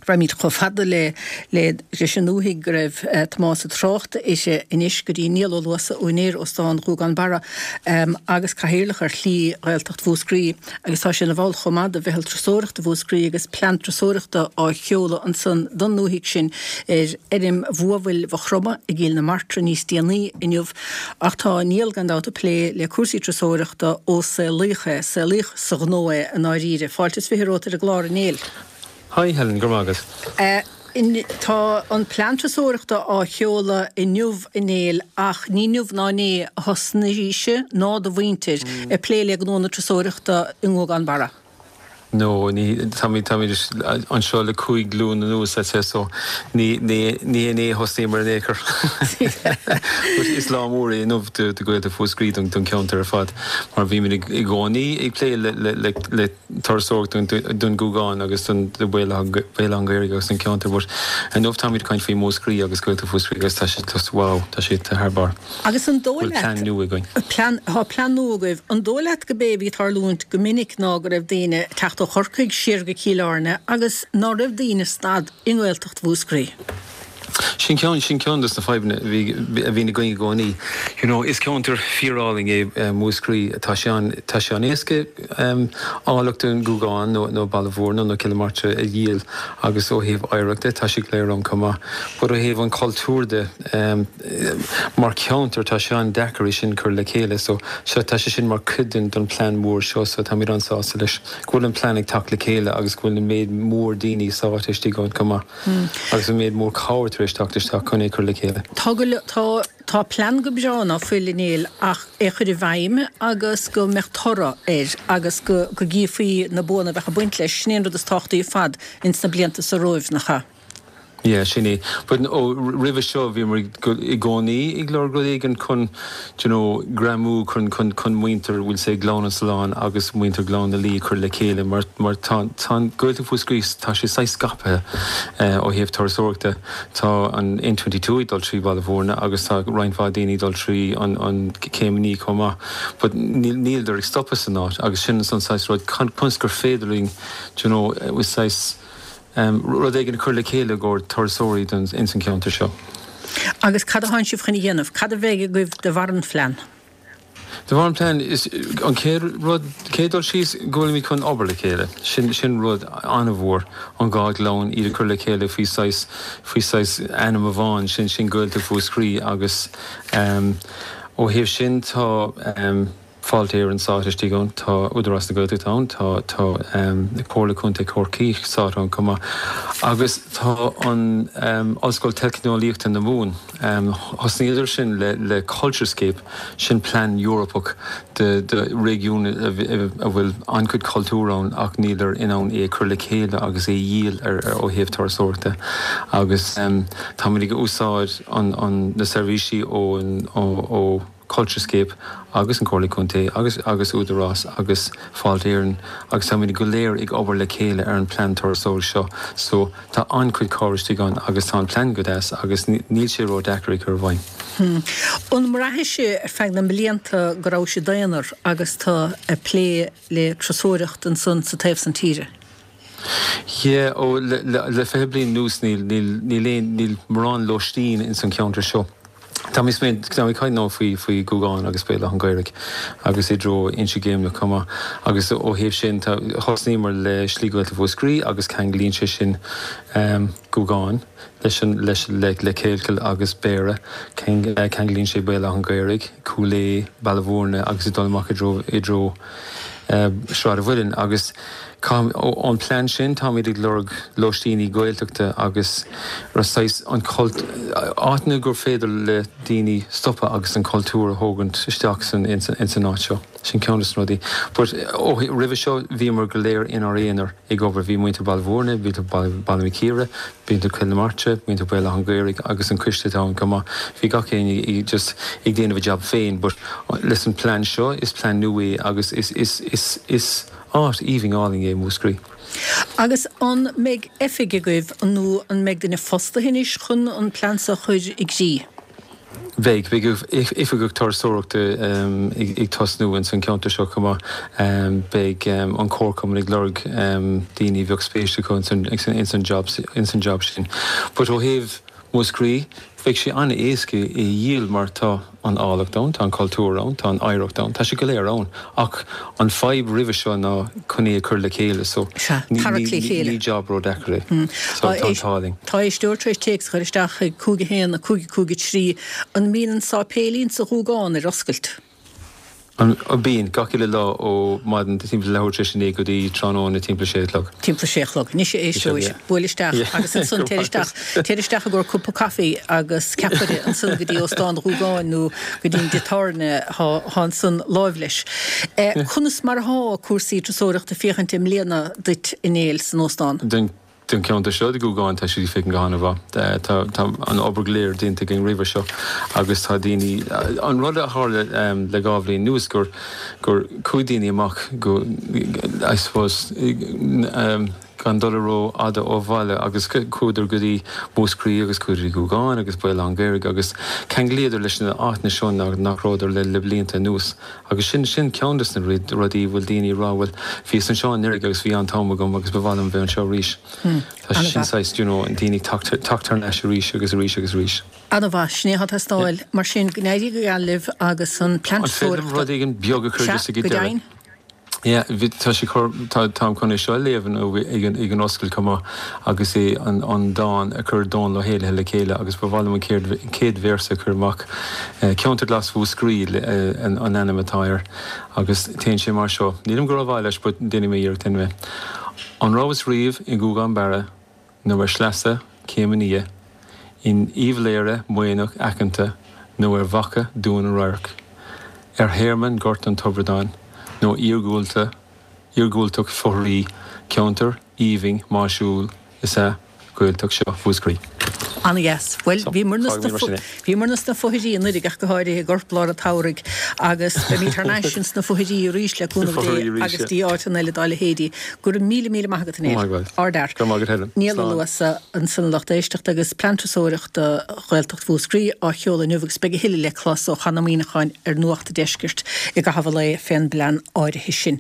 Raghaimid chomh fada le leis an ndúthaigh go raibh Tomás ag trácht uirthi anois go dtí Niall Ó Luasa, úinéir Óstán Ghúgán Barra agus cathaoirleach ar Shlí Ghaeltacht Mhúscraí agus tá sé ina bhall chomh maith de Mheitheal Turasóireachta Mhúscraí agus plean turasóireachta á sheoladh ansan don ndúthaigh sin ar fheirm Bhuabhaill Mhaigh Chromtha i gCill na Martra níos déanaí inniu. Ach tá Niall gan dabht ag plé le cúrsaí turasóireachta ó saolaíodh é, saolaíodh sa ghnó é i ndáiríre. Fáilte is 20 romhat ar an gclár, a Néill. Hi Helen, go raibh maith agat. Tá an plean turasóireachta á sheoladh inniu a Néill ach ní inniu ná inné a thosnaís-se ná do mhuintir ag plé le gnó na turasóireachta i nGúgán Barra. No, ní, táimid, táimid anseo le 5 glúin anuas, I'd say, so ní, ní, ní inné a thosnaíomar in aon chor. But is lá mór é inniu do, do Ghaeltacht Mhúscraí, don, don cheantar ar fad, mar bhímid i gcónaí ag plé le, le, le, le turasóireacht don Ghúgán agus don Bhéal Átha an Ghaorthaidh agus don cheantar but inniu táimid ag caint faoi Mhúscraí agus Gaeltacht Mhúscraí agus tá sé just wow, tá sé thar barr. Agus an dóigh leat, plean nua againn. Plean, tá plean nua agaibh. An dóigh leat go b'é a bhí ag tarlúint go minic ná go raibh daoine ag teacht ó Chorcaigh siar go Cill Airne agus ná raibh daoine ag stad i nGaeltacht Mhúscraí? Sin ceann, sin ceann dos na fadhbanna a bhí, a bhíonn againn i gcónaí. You know, is ceantar fíorálainn é Múscraí. Tá sé an, tá sé an-éasca áilleacht an Ghúgáin nó, nó Baile Mhúirne nó Cill na Martra a dhíol agus ó thaobh oidhreachta tá sé go léir ann chomh maith. But ó thaobh an chultúir de, mar cheantar tá sé an-deacair é sin cur le chéile. So, so tá sé sin mar chuid den, den plean mór seo so táimid an-sásta leis go bhfuil an plean ag teacht le chéile agus go bhfuil an méid mór daoine sáite istigh ann chomh maith. Agus an méid mór cabhair tar éis teacht isteach chun é cur le chéile. Tá go, tá, tá plean go breá ná fuil a Néill ach é chur i bhfeidhm agus go mbeadh toradh air agus go, go gcífí na buanna a bheadh ag baint leis, sin é an rud is tábhachtaí ar fad ins na blianta so romhaibh, nach ea? Yeah, sin é. But ó, roimhe seo bhíomar i gcónaí ag lorg rud éigin chun, do you know, greamú chun, chun, chun muintir, we'll say Gleann an tSuláin agus muintir Ghleann na Laoi a chur le chéile mar, mar tá, tá an Ghaeltacht Mhúscraí, tá sé saghas scaipthe ó thaobh turasóireachta. Tá an N22 ag dul trí Bhaile Mhúirne agus tá roinnt mhaith daoine ag dul trí an, an Chéim an Fhia chomh maith. But níl, níleadar ag stopadh san áit agus sin an saghas rud, conas gur féidir linn, do you know, saghas, rud éigin a chur le chéile i gcomhair turasóirí ins an cheantar seo. Agus cad a thánn sibh chun a dhéanamh? Cad a bheidh agaibh de bharr an phlean? De bharr an plean, is an chéad rud, chéad dul síos, go bhfuilimid chun obair le chéile. Sin, sin rud an-mhór, an dhá ghleann, iad a chur le chéile faoi saghas, faoi saghas ainm amháin, sin, sin Gaeltacht Mhúscraí agus ó thaobh sin tá, Fáilte Éireann sáite istigh ann, tá Údarás na Gaeltachta ann, tá tá Comhairle Contae Chorcaí sáite ann chomh maith agus tá an Ollscoil Teicneolaíochta na Mumhan, thosnaíodar sin le le Culturescape, sin plean Eorpach do do réigiún a bhfuil an-chuid cultúr ann ach níleadar in ann é a chur le chéile agus é a dhíol ar ó thaobh turasóireachta agus táimid ag úsáid an an na seirbhísí ó ó Culturescape agus an Comhairle Contae agus agus Údarás agus Fáilte Éireann agus táimid go léir ag obair le chéile ar an plean turasóireachta seo so tá an-chuid cabhair istigh ann agus tá an plean go deas agus níl sé ró-deacair a chur i bhfeidhm. An mbraithis ar feadh na mblianta go rabhais i d'aonar agus tú ag plé le turasóireacht ansan sa taobh san tíre? Yeah, ó le le 20 bliain anuas níl níl níl aon níl mórán lóistín ins an cheantar seo. Tá mé tá mé ag caint now faoi faoi Gúgán agus Béal Átha an Ghaorthaidh agus i dtreo Inse Geimhleach chomh maith agus ó thaobh sin tá thosnaíomar le Slí Ghaeltacht Mhúscraí agus ceanglaíonn sé sin Gúgán leis an leis le le Kealkill agus Béarra ceanglaíonn sé Béal Átha an Ghaorthaidh, Cúil Aodha, Baile Mhúirne agus ag dul amach i dtreo i dtreo Sráid an Mhuilinn agus ón plean sin táimid ag lorg lóistíní Gaeltachta agus saghas an cult, áiteanna gur féidir le daoine stopadh agus an cultúr a thógaint isteach san ins an áit seo. Sin ceann de na rudaí. But ó roimhe seo bhíomar go léir inár aonar ag obair. Bhí muintir Baile Mhúirne, muintir Baile Mhic Íre, muintir Chill na Martra, muintir Bhéal Átha an Ghaorthaidh agus an coiste atá ann chomh maith. Bhí gach éinne just ag déanamh a jab féin but leis an plean seo is plean nua é agus is is is is áit aoibhinn álainn é Múscraí. Agus an mbeidh oifig agaibh nó an mbeidh duine fostaithe anois chun an plean seo a chur i gcrích? Beidh, beidh oifigeach turasóireachta ag tosnú ins an cheantar seo chomh maith. Beidh an comharchumann ag lorg daoine a bheadh spéis acu ins an job ins an job sin. But ó thaobh Mhúscraí, bheadh sé an-éasca é a dhíol mar tá an áilleacht ann, tá an cultúr ann, tá an oidhreacht ann, tá sé go léir ann. Ach an fadhb roimhe seo ná chun é a chur le chéile so Sea, tarrac le chéile. ní job ródheacair é. So tá an t-ádh linn. Tá éisteoir tar éis téacs a chur isteach chuig 5 1 5 5 3, An mbíonn an sáipéilín sa Ghúgán ar oscailt? An bíonn, gach uile lá ó maidin timpeall leathuair tar éis a 9 go dtí tráthnóna timpeall a sé a chlog. Timpeall a sé a chlog. Anois a éisteoir, buail isteach agus ansan téir isteach, téir isteach i gcomhair cupa caife agus ceapaire ansan go dtí Óstán Ghúgáin nó go dtí an dtigh tábhairne thá ansan láimh leis. Conas mar athá cúrsaí turasóireachta ag féachaint i mbliana duit a Néill san óstán? Don ceantar seo, do Ghúgán, tá siad ag féachaint go han-mhaith. Tá an obair go léir déanta againn roimhe seo agus tá daoine, an rud a tharla le dhá bhliain anuas gur gur chuaigh daoine amach go, I suppose, gan dul ró-fhada ó bhaile agus chuadar go dtí Múscraí agus chuadar go dtí Gúgán agus Béal Átha an Ghaorthaidh agus cheanglaíodar leis na áiteanna seo nach rabhadar le le blianta anuas. Agus sin, sin ceann des na rudaí a bhfuil daoine ag rá, bhuel, bhíos anseo anuraidh agus bhí an-t-am agam agus ba mhaith liom bheith anseo arís. Tá sé sin saghas, you know, daoine ag teacht, teacht thar n-ais arís agus arís agus arís. An-mhaith, sin é atá ag teastáil. Mar sin, go n-éirí go geal libh agus an plean An féidir liom rud éigin beag a chur just ag an deireadh? Sea, go deimhin. Yeah, bhí, tá sé cur, tá, táim chun é seo a léamh inniu ag an, ag an oscailt chomh maith agus é an, an dán a chuir Dónal Ó hÉallaithe le chéile agus ba mhaith liom an chéad, chéad véarsa a chur amach. Ceantar Glas Mhúscraí an, an ainm atá air agus téann sé mar seo. Nílim go rómhaith leis but déanfaidh mé iarracht anyway. An rabhais riamh i nGúgán Barra nó ar shleasa Chéim an Fhia, in Uíbh Laoghaire maoithneach aiceanta nó ar bhaca Dún an Radhairc, ar thearmann Ghort an Tobradáin nó iargúlta iargúltacht fothraí, ceantar aoibhinn máisiúil is ea Gaeltacht seo Mhúscraí. An-dheas. Bhuel, So, bhíomarna fágfaimid mar sin é. bhíomarna sna fothairí anuraidh ach go háirithe i gcorplár an tsamhraidh agus beimid thar n-ais ins na fothairí arís le cúnamh Dé agus dtí áiteanna eile dá leithéidí. Go raibh míle míle maith agat a Néill. Ardfhear. Go raibh maith agat Helen. Niall Ó Luasa ansan a lucht éisteachta agus Plean Turasóireachta Ghaeltacht Mhúscraí á sheoladh inniu agus beidh a thuilleadh le clos ó Chonn Ó Muíneacháin ar Nuacht an Deiscirt i gcaitheamh an lae fén bplean áirithe sin.